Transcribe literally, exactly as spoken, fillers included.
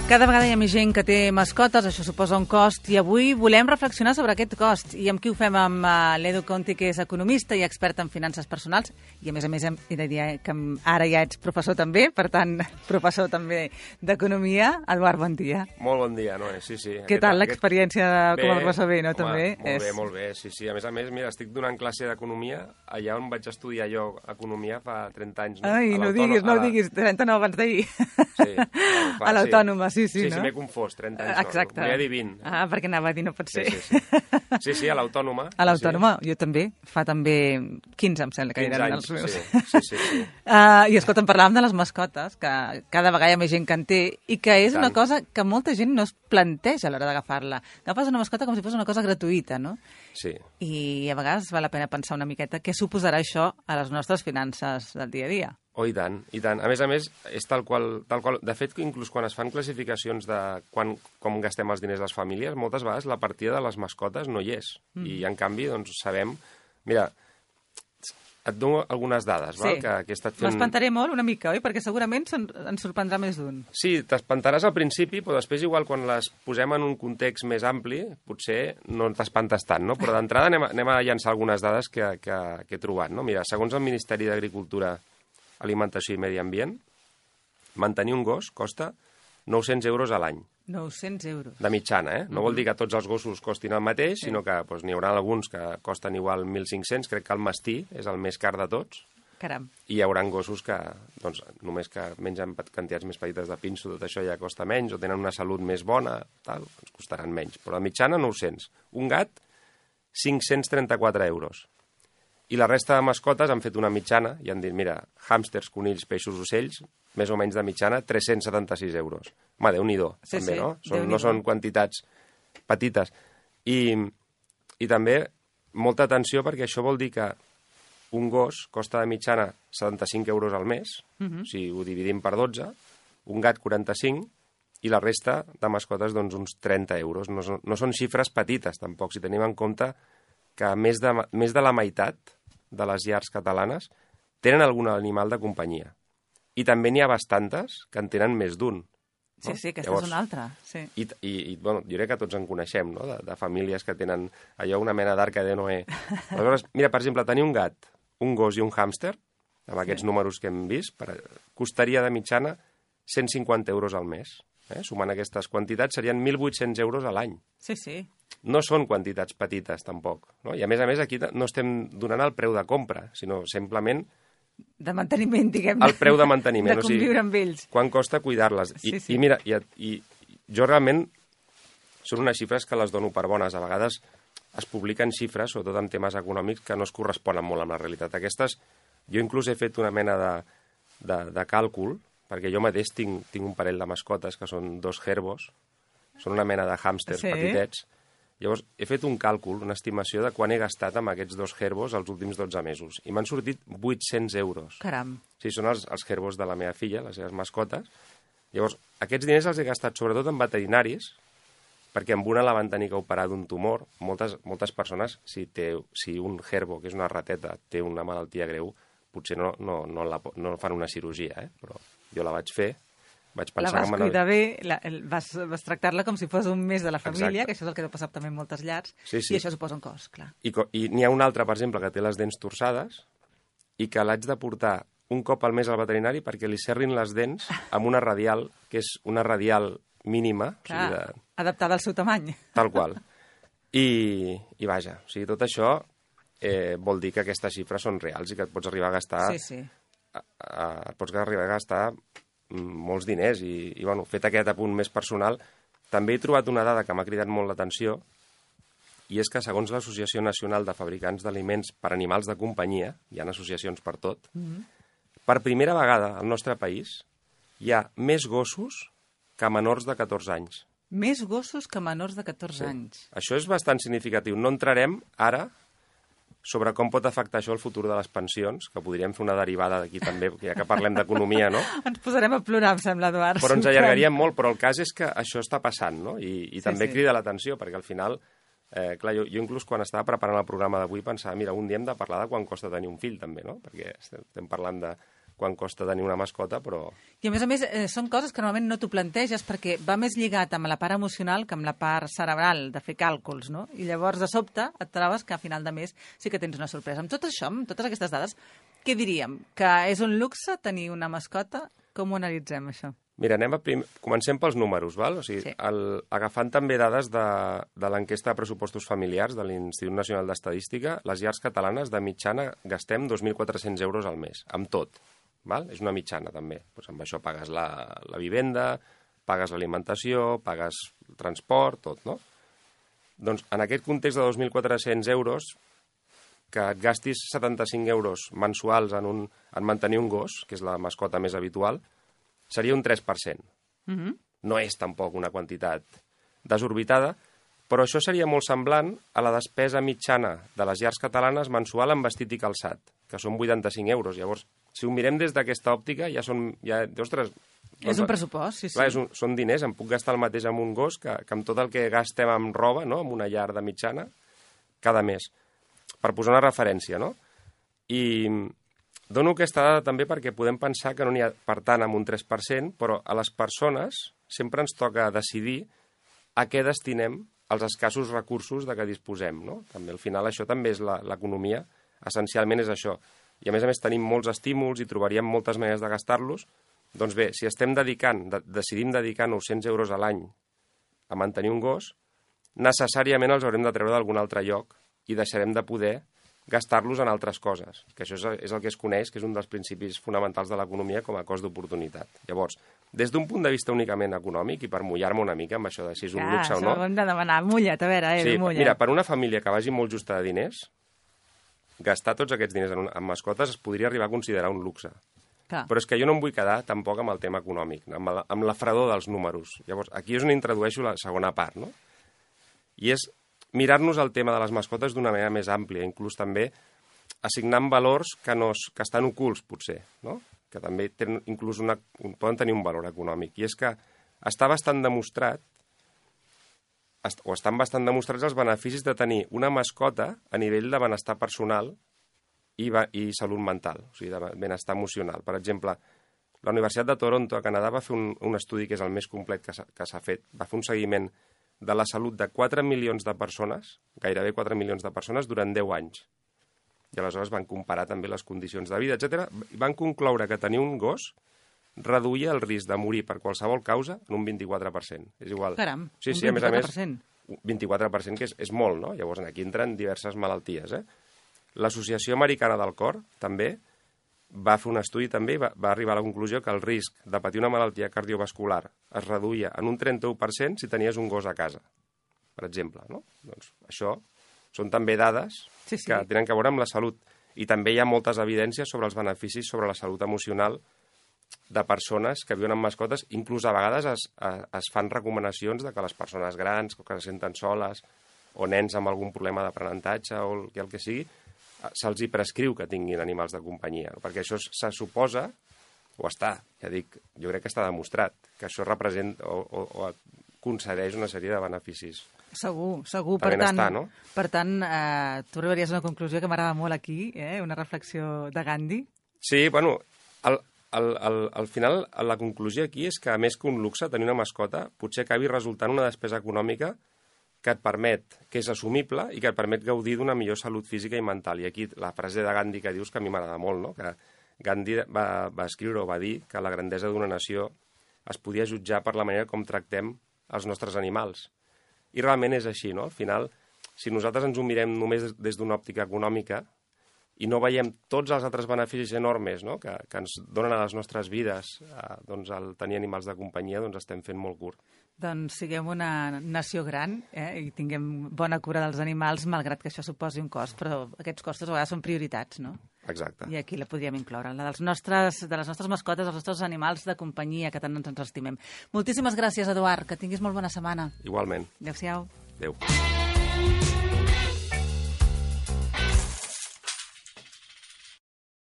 Cada vegada hi ha més gent que té mascotes, això suposa un cost, i avui volem reflexionar sobre aquest cost. I amb qui ho fem? Amb uh, l'Edu Conti, que és economista i expert en finances personals, i a més a més hem de dir que ara ja ets professor també, per tant, professor també d'economia. Eduard, bon dia. Molt bon dia, Noé, sí, sí. Què tal l'experiència com a professor? Bé, no? Home, també? Molt és... bé, molt bé, sí, sí. A més a més, mira, estic donant classe d'economia allà on vaig estudiar jo economia fa trenta anys. No? Ai, no diguis, no la... diguis, trenta no abans d'ahir. Sí, a l'Autònoma, sí, sí, sí, no? Sí, m'he confós, trenta anys Exacte. no, m'he dit vint. Ah, perquè anava a dir, no pot ser. Sí, sí, sí, sí, sí a l'Autònoma. A l'Autònoma, sí. Jo també, fa també quinze, em sembla que eren anys, els meus. Sí, sí, sí. sí. Uh, I escolta, em parlàvem de les mascotes, que cada vegada hi ha més gent que en té, i que és una cosa que molta gent no es planteja a l'hora d'agafar-la. Agafes una mascota com si fos una cosa gratuïta, no? Sí. I a vegades val la pena pensar una miqueta què suposarà això a les nostres finances del dia a dia. Oh, i tant, i tant. A més a més, és tal qual, tal qual... De fet, inclús quan es fan classificacions de quan, com gastem els diners les famílies, moltes vegades la partida de les mascotes no hi és. Mm. I, en canvi, doncs, sabem... Mira, et dono algunes dades, sí. val? Que, que he estat fent... M'espantaré molt una mica, oi? Perquè segurament ens sorprendrà més d'un. Sí, t'espantaràs al principi, però després igual quan les posem en un context més ampli, potser no t'espantes tant, no? Però d'entrada anem, a, anem a llançar algunes dades que, que, que he trobat, no? Mira, segons el Ministeri d'Agricultura, Alimentació i Medi Ambient, mantenir un gos costa nou-cents euros a l'any. nou-cents euros. De mitjana, eh? No mm-hmm. vol dir que tots els gossos costin el mateix, sí. sinó que doncs, n'hi haurà alguns que costen igual mil cinc-cents, crec que el mastí és el més car de tots. Caram. I hi haurà gossos que, doncs, només que mengen quantitats més petites de pinso, tot això ja costa menys, o tenen una salut més bona, tal, ens costaran menys. Però de mitjana, nou-cents. Un gat, cinc-cents trenta-quatre euros. I la resta de mascotes han fet una mitjana i han dit, mira, hàmsters, conills, peixos, ocells, més o menys de mitjana, tres-cents setanta-sis euros. Home, Déu-n'hi-do, sí, també, sí, no? Són, no són quantitats petites. I, I també, molta atenció, perquè això vol dir que un gos costa de mitjana setanta-cinc euros al mes, uh-huh. si ho dividim per dotze, un gat quaranta-cinc, i la resta de mascotes, doncs, uns trenta euros. No, no són xifres petites, tampoc, si tenim en compte que més de, més de la meitat de les llars catalanes tenen algun animal de companyia. I també n'hi ha bastantes que en tenen més d'un. No? Sí, sí, aquesta Llavors, és una altra. Sí. I, i, i bueno, jo crec que tots en coneixem, no?, de, de famílies que tenen allò una mena d'arca de Noé. Aleshores, mira, per exemple, tenir un gat, un gos i un hàmster, amb aquests sí. números que hem vist, per, costaria de mitjana cent cinquanta euros al mes. Eh? Sumant aquestes quantitats serien mil vuit-cents euros a l'any. Sí, sí. No són quantitats petites, tampoc. No? I, a més a més, aquí no estem donant el preu de compra, sinó simplement... De manteniment, diguem-ne. El preu de manteniment. De conviure o sigui, amb ells. Quan costa cuidar-les. I, sí, sí. I mira, i, i jo realment... Són unes xifres que les dono per bones. A vegades es publiquen xifres, sobretot en temes econòmics, que no es corresponen molt amb la realitat. Aquestes, jo inclús he fet una mena de, de, de càlcul, perquè jo mateix tinc, tinc un parell de mascotes que són dos herbos, són una mena de hàmsters sí. petitets. Llavors, he fet un càlcul, una estimació de quan he gastat amb aquests dos herbos els últims dotze mesos. I m'han sortit vuit-cents euros. Caram. Sí, són els, els herbos de la meva filla, les seves mascotes. Llavors, aquests diners els he gastat sobretot en veterinaris, perquè amb una la van tenir que operar d'un tumor. Moltes, moltes persones, si, té, si un herbo, que és una rateta, té una malaltia greu, potser no, no, no, la, no fan una cirurgia, eh? Però jo la vaig fer. Vaig pensar la vas que cuidar bé, la, el, vas, vas tractar-la com si fos un mes de la família, exacte. Que això és el que deu passar també en moltes llars, sí, sí. i això suposa un cost, clar. I, i n'hi ha un altre, per exemple, que té les dents torçades i que l'haig de portar un cop al mes al veterinari perquè li serrin les dents amb una radial, que és una radial mínima. Clar, o sigui de... adaptada al seu tamany. Tal qual. I, i vaja, o sigui, tot això eh, vol dir que aquestes xifres són reals i que et pots arribar a gastar... Sí, sí. A, a, et pots arribar a gastar molts diners i, i bueno, fet aquest apunt més personal, també he trobat una dada que m'ha cridat molt l'atenció i és que segons l'Associació Nacional de Fabricants d'Aliments per Animals de Companyia, hi ha associacions per tot, mm-hmm. per primera vegada al nostre país hi ha més gossos que menors de catorze anys. Més gossos que menors de catorze sí. anys. Això és bastant significatiu. No entrarem ara sobre com pot afectar això el futur de les pensions, que podríem fer una derivada d'aquí també, ja que parlem d'economia, no? Ens posarem a plorar, em sembla, Eduard. Però ens allargaríem molt, però el cas és que això està passant, no? I, i sí, també sí. crida l'atenció, perquè al final, eh, clar, jo, jo inclús quan estava preparant el programa d'avui pensava, mira, un dia hem de parlar de quan costa tenir un fill, també, no? Perquè estem parlant de, quan costa tenir una mascota, però... I a més a més, eh, són coses que normalment no t'ho planteges perquè va més lligat amb la part emocional que amb la part cerebral, de fer càlculs, no? I llavors, de sobte, et trobes que a final de mes sí que tens una sorpresa. Amb tot això, amb totes aquestes dades, què diríem? Que és un luxe tenir una mascota? Com ho analitzem, això? Mira, anem a prim... comencem pels números, val? O sigui, Sí. el... agafant també dades de, de l'enquesta de pressupostos familiars de l'Institut Nacional d'Estadística, les llars catalanes de mitjana gastem dos mil quatre-cents euros al mes, amb tot. Val? És una mitjana, també. Pues amb això pagues la, la vivenda, pagues l'alimentació, pagues el transport, tot, no? Doncs en aquest context de dos mil quatre-cents euros, que et gastis setanta-cinc euros mensuals en, un, en mantenir un gos, que és la mascota més habitual, seria un tres per cent. Mm-hmm. No és tampoc una quantitat desorbitada, però això seria molt semblant a la despesa mitjana de les llars catalanes mensual en vestit i calçat, que són vuitanta-cinc euros. Llavors, si ho mirem des d'aquesta òptica, ja són... Ja, ostres, És un pressupost, sí, sí. Clar, és un, són diners, em puc gastar el mateix amb un gos que, que amb tot el que gastem amb roba, no?, amb una llar de mitjana, cada mes. Per posar una referència, no? I dono aquesta dada també perquè podem pensar que no n'hi ha, per tant, amb un tres per cent, però a les persones sempre ens toca decidir a què destinem els escassos recursos de què disposem, no? També al final això també és l'economia, essencialment és això. I a més a més tenim molts estímuls i trobaríem moltes maneres de gastar-los. Doncs bé, si estem dedicant, de, decidim dedicar nou-cents euros a l'any a mantenir un gos, necessàriament els haurem de treure d'algun altre lloc i deixarem de poder gastar-los en altres coses, que això és el que es coneix, que és un dels principis fonamentals de l'economia com a cost d'oportunitat. Llavors, des d'un punt de vista únicament econòmic, i per mullar-me una mica amb això de si és un Clar, luxe o no... això ho hem de demanar. Mulla't, a veure, eh, sí, mulla't. mira, per una família que vagi molt justa de diners, gastar tots aquests diners en, un, en mascotes es podria arribar a considerar un luxe. Clar. Però és que jo no em vull quedar tampoc amb el tema econòmic, amb la, amb la fredor dels números. Llavors, aquí és on introdueixo la segona part, no? I és mirar-nos el tema de les mascotes d'una manera més àmplia, inclús també assignant valors que, no, que estan ocults, potser, no? Que també tenen, inclús una, poden tenir un valor econòmic. I és que està bastant demostrat, o estan bastant demostrats els beneficis de tenir una mascota a nivell de benestar personal i, i salut mental, o sigui, de benestar emocional. Per exemple, la Universitat de Toronto, a Canadà, va fer un, un estudi que és el més complet que s'ha fet, va fer un seguiment de la salut de quatre milions de persones, gairebé quatre milions de persones, durant deu anys. I aleshores van comparar també les condicions de vida, etcètera. I van concloure que tenir un gos reduïa el risc de morir per qualsevol causa en un vint-i-quatre per cent. És igual. Caram, sí, un sí, vint-i-quatre per cent. A més a més, vint-i-quatre per cent, que és, és molt, no? Llavors aquí entren diverses malalties, eh? L'Associació Americana del Cor, també, va fer un estudi també i va, va arribar a la conclusió que el risc de patir una malaltia cardiovascular es reduïa en un trenta-u per cent si tenies un gos a casa, per exemple, no? Doncs això són també dades sí, sí. que tenen a veure amb la salut. I també hi ha moltes evidències sobre els beneficis sobre la salut emocional de persones que viuen amb mascotes. Inclús a vegades es, es fan recomanacions de que les persones grans que se senten soles o nens amb algun problema d'aprenentatge o el, el que sigui, se'ls hi prescriu que tinguin animals de companyia, perquè això se suposa, o està, ja dic, jo crec que està demostrat, que això representa o, o, o concedeix una sèrie de beneficis. Segur, segur. Per per benestar, tant, no? Per tant, eh, tu arribaries a una conclusió que m'agrada molt aquí, eh? Una reflexió de Gandhi. Sí, bueno, al, al, al, al final la conclusió aquí és que, a més que un luxe, tenir una mascota potser acabi resultant una despesa econòmica que et permet, que és assumible i que et permet gaudir d'una millor salut física i mental. I aquí la frase de Gandhi que dius que a mi m'agrada molt, no? Que Gandhi va, va escriure o va dir que la grandesa d'una nació es podia jutjar per la manera com tractem els nostres animals. I realment és així, no? Al final, si nosaltres ens ho mirem només des d'una òptica econòmica i no veiem tots els altres beneficis enormes, no?, que, que ens donen a les nostres vides eh, doncs, el tenir animals de companyia, doncs estem fent molt curt. Doncs siguem una nació gran eh, i tinguem bona cura dels animals, malgrat que això suposi un cost, però aquests costos a vegades són prioritats, no? Exacte. I aquí la podríem incloure, la dels nostres, de les nostres mascotes, dels nostres animals de companyia, que tant ens estimem. Moltíssimes gràcies, Eduard, que tinguis molt bona setmana. Igualment. Adéu-siau. Adéu.